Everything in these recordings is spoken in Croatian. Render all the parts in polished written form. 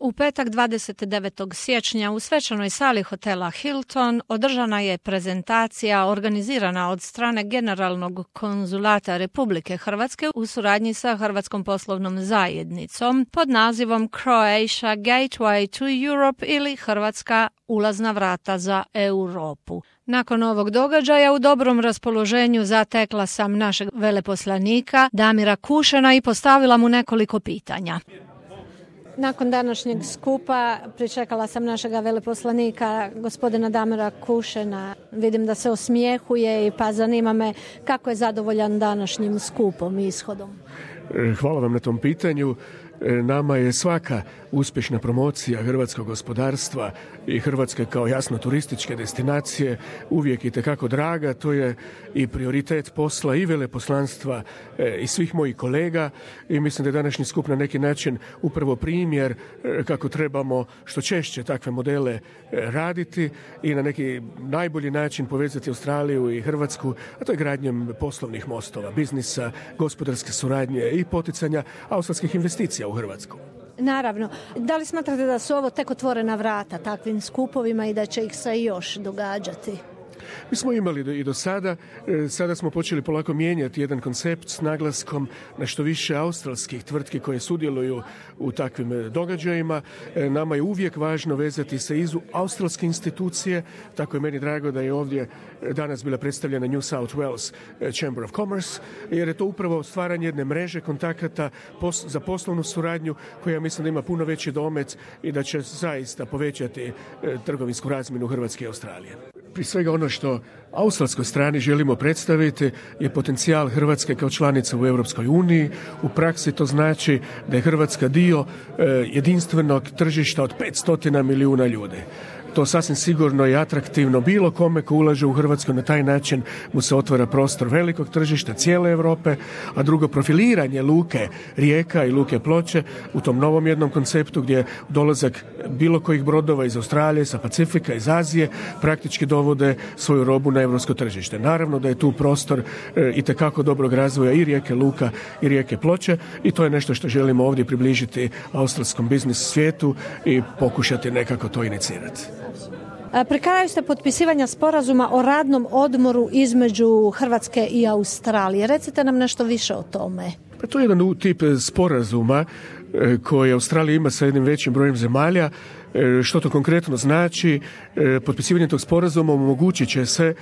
U petak 29. siječnja u svečanoj sali hotela Hilton održana je prezentacija organizirana od strane Generalnog konzulata Republike Hrvatske u suradnji sa Hrvatskom poslovnom zajednicom pod nazivom Croatia Gateway to Europe ili Hrvatska ulazna vrata za Europu. Nakon ovog događaja u dobrom raspoloženju zatekla sam našeg veleposlanika Damira Kušena i postavila mu nekoliko pitanja. Nakon današnjeg skupa pričekala sam našega veleposlanika, gospodina Damira Kušena. Vidim da se osmijehuje pa zanima me kako je zadovoljan današnjim skupom i ishodom. Hvala vam na tom pitanju. Nama je svaka uspješna promocija hrvatskog gospodarstva i Hrvatske kao jasno turističke destinacije uvijek itekako draga. To je i prioritet posla i veleposlanstva i svih mojih kolega i mislim da je današnji skup na neki način upravo primjer kako trebamo što češće takve modele raditi i na neki najbolji način povezati Australiju i Hrvatsku, a to je gradnjem poslovnih mostova, biznisa, gospodarske suradnje i poticanja australskih investicija u Hrvatsku. Naravno. Da li smatrate da su ovo tek otvorena vrata takvim skupovima i da će ih se još događati? Mi smo imali i do sada, sada smo počeli polako mijenjati jedan koncept s naglaskom na što više australskih tvrtki koje sudjeluju u takvim događajima. Nama je uvijek važno vezati se iz australske institucije, tako je meni drago da je ovdje danas bila predstavljena New South Wales Chamber of Commerce, jer je to upravo stvaranje jedne mreže kontakata za poslovnu suradnju koja mislim da ima puno veći domet i da će zaista povećati trgovinsku razmjenu Hrvatske i Australije. Prije svega ono što australskoj strani želimo predstaviti je potencijal Hrvatske kao članice u Europskoj uniji. U praksi to znači da je Hrvatska dio jedinstvenog tržišta od 500 milijuna ljudi. To sasvim sigurno je atraktivno bilo kome ko ulaže u Hrvatsku, na taj način mu se otvara prostor velikog tržišta cijele Europe, a drugo profiliranje luke Rijeka i luke Ploče u tom novom jednom konceptu gdje dolazak bilo kojih brodova iz Australije, sa Pacifika, iz Azije praktički dovode svoju robu na europsko tržište. Naravno da je tu prostor itekako dobrog razvoja i Rijeke Luka i Rijeke Ploče i to je nešto što želimo ovdje približiti australskom biznis svijetu i pokušati nekako to inicirati. Pri kraju ste potpisivanja sporazuma o radnom odmoru između Hrvatske i Australije. Recite nam nešto više o tome. To je jedan tip sporazuma koji Australija ima sa jednim većim brojem zemalja. Što to konkretno znači? Potpisivanje tog sporazuma omogućit će se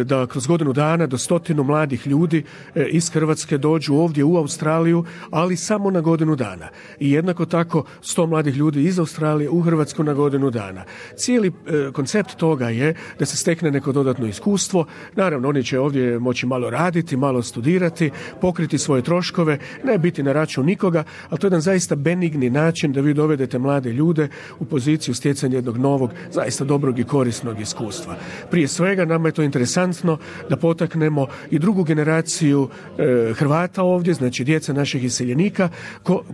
da kroz godinu dana do 100 mladih ljudi iz Hrvatske dođu ovdje u Australiju, ali samo na godinu dana. I jednako tako 100 mladih ljudi iz Australije u Hrvatsku na godinu dana. Cijeli koncept toga je da se stekne neko dodatno iskustvo. Naravno, oni će ovdje moći malo raditi, malo studirati, pokriti svoje troškove, ne biti na račun nikoga, ali to je jedan zaista benigni način da vi dovedete mlade ljude u poziciju stjecanja jednog novog, zaista dobrog i korisnog iskustva. Prije svega nama je to interesantno da potaknemo i drugu generaciju Hrvata ovdje, znači djeca naših iseljenika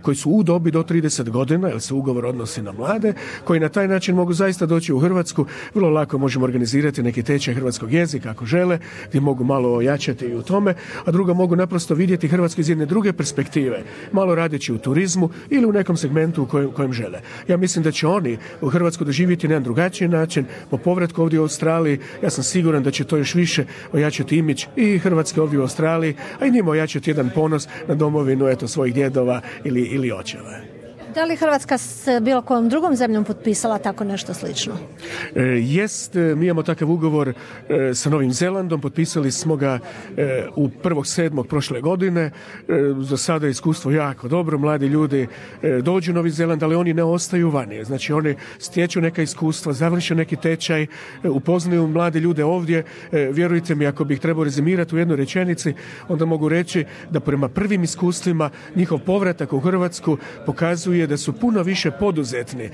koji su u dobi do 30 godina, jer se ugovor odnosi na mlade, koji na taj način mogu zaista doći u Hrvatsku. Vrlo lako možemo organizirati neki tečaj hrvatskog jezika ako žele, gdje mogu malo ojačati i u tome, a druga mogu naprosto vidjeti Hrvatsku iz jedne druge perspektive, malo radeći u turizmu ili u nekom segmentu u kojem žele. Ja mislim da će oni u Hrvatsku doživjeti na jedan drugačiji način po povratku ovdje u Australiji. Ja sam siguran da će to još više ojačati imidž i Hrvatske ovdje u Australiji, a i njima ojačati jedan ponos na domovinu svojih djedova ili očeva. Da li Hrvatska s bilo kojom drugom zemljom potpisala tako nešto slično? Jest, mi imamo takav ugovor sa Novim Zelandom, potpisali smo ga u 1.7. prošle godine. Za sada je iskustvo jako dobro, mladi ljudi dođu u Novi Zeland, ali oni ne ostaju vani. Znači oni stječu neka iskustva, završe neki tečaj, upoznaju mlade ljude ovdje. Vjerujte mi, ako bih trebao rezimirati u jednoj rečenici, onda mogu reći da prema prvim iskustvima njihov povratak u Hrvatsku pokazuje da su puno više poduzetni,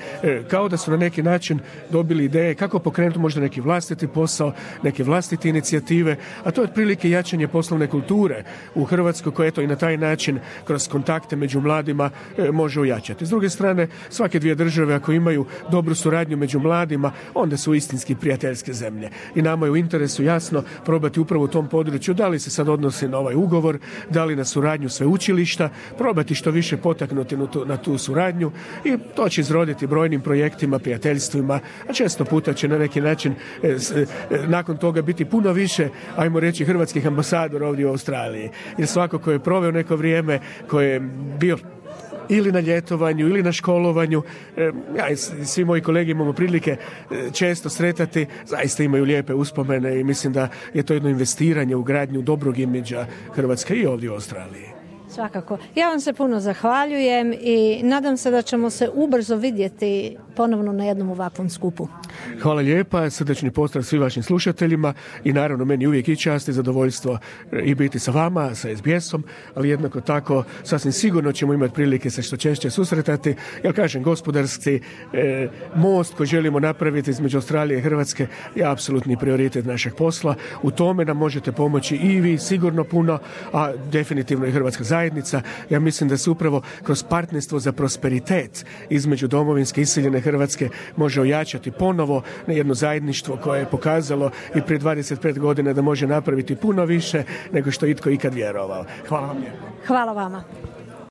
kao da su na neki način dobili ideje kako pokrenuti možda neki vlastiti posao, neke vlastite inicijative, a to je otprilike jačanje poslovne kulture u Hrvatskoj koje i na taj način kroz kontakte među mladima može ojačati. S druge strane, svake dvije države ako imaju dobru suradnju među mladima, onda su istinski prijateljske zemlje. I nama je u interesu jasno probati upravo u tom području, da li se sad odnosi na ovaj ugovor, da li na suradnju sveučilišta, probati što više potaknuti na tu suradnju suradnju i to će izroditi brojnim projektima, prijateljstvima, a često puta će na neki način nakon toga biti puno više, ajmo reći, hrvatskih ambasadora ovdje u Australiji. Jer svako ko je proveo neko vrijeme, ko je bio ili na ljetovanju, ili na školovanju. Ja i svi moji kolege imamo prilike često sretati, zaista imaju lijepe uspomene i mislim da je to jedno investiranje u gradnju dobrog imidža Hrvatske i ovdje u Australiji. Svakako. Ja vam se puno zahvaljujem i nadam se da ćemo se ubrzo vidjeti ponovno na jednom ovakvom skupu. Hvala lijepa, srdečni pozdrav svim vašim slušateljima i naravno meni uvijek i čast i zadovoljstvo i biti sa vama, sa SBS-om, ali jednako tako sasvim sigurno ćemo imati prilike se što češće susretati, jer kažem, gospodarski most koji želimo napraviti između Australije i Hrvatske je apsolutni prioritet našeg posla. U tome nam možete pomoći i vi sigurno puno, a definitivno i Hrvatska zajednica. Ja mislim da se upravo kroz partnerstvo za prosperitet između domovinske iseljene Hrvatske može ojačati ponovo na jedno zajedništvo koje je pokazalo i prije 25 godina da može napraviti puno više nego što itko ikad vjerovao. Hvala vam lijepo. Hvala vama.